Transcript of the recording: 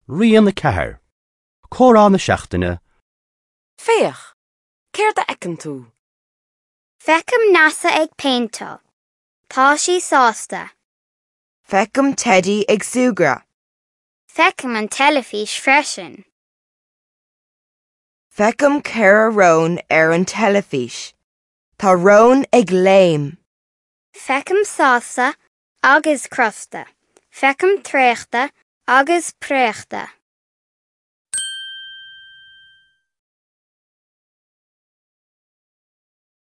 Rian 4, Comhrá na Seachtaine. Féach! Céard a fheiceann tú? Feicim Neasa ag péinteáil. Tá sí sásta. Feicim Teidí ag súgradh. Feicim an teilifís freisin. Feicim 4 rón ar an teilifís. Tá rón ag léim. Feicim sásta agus crosta. Feicim traochta agus préachta.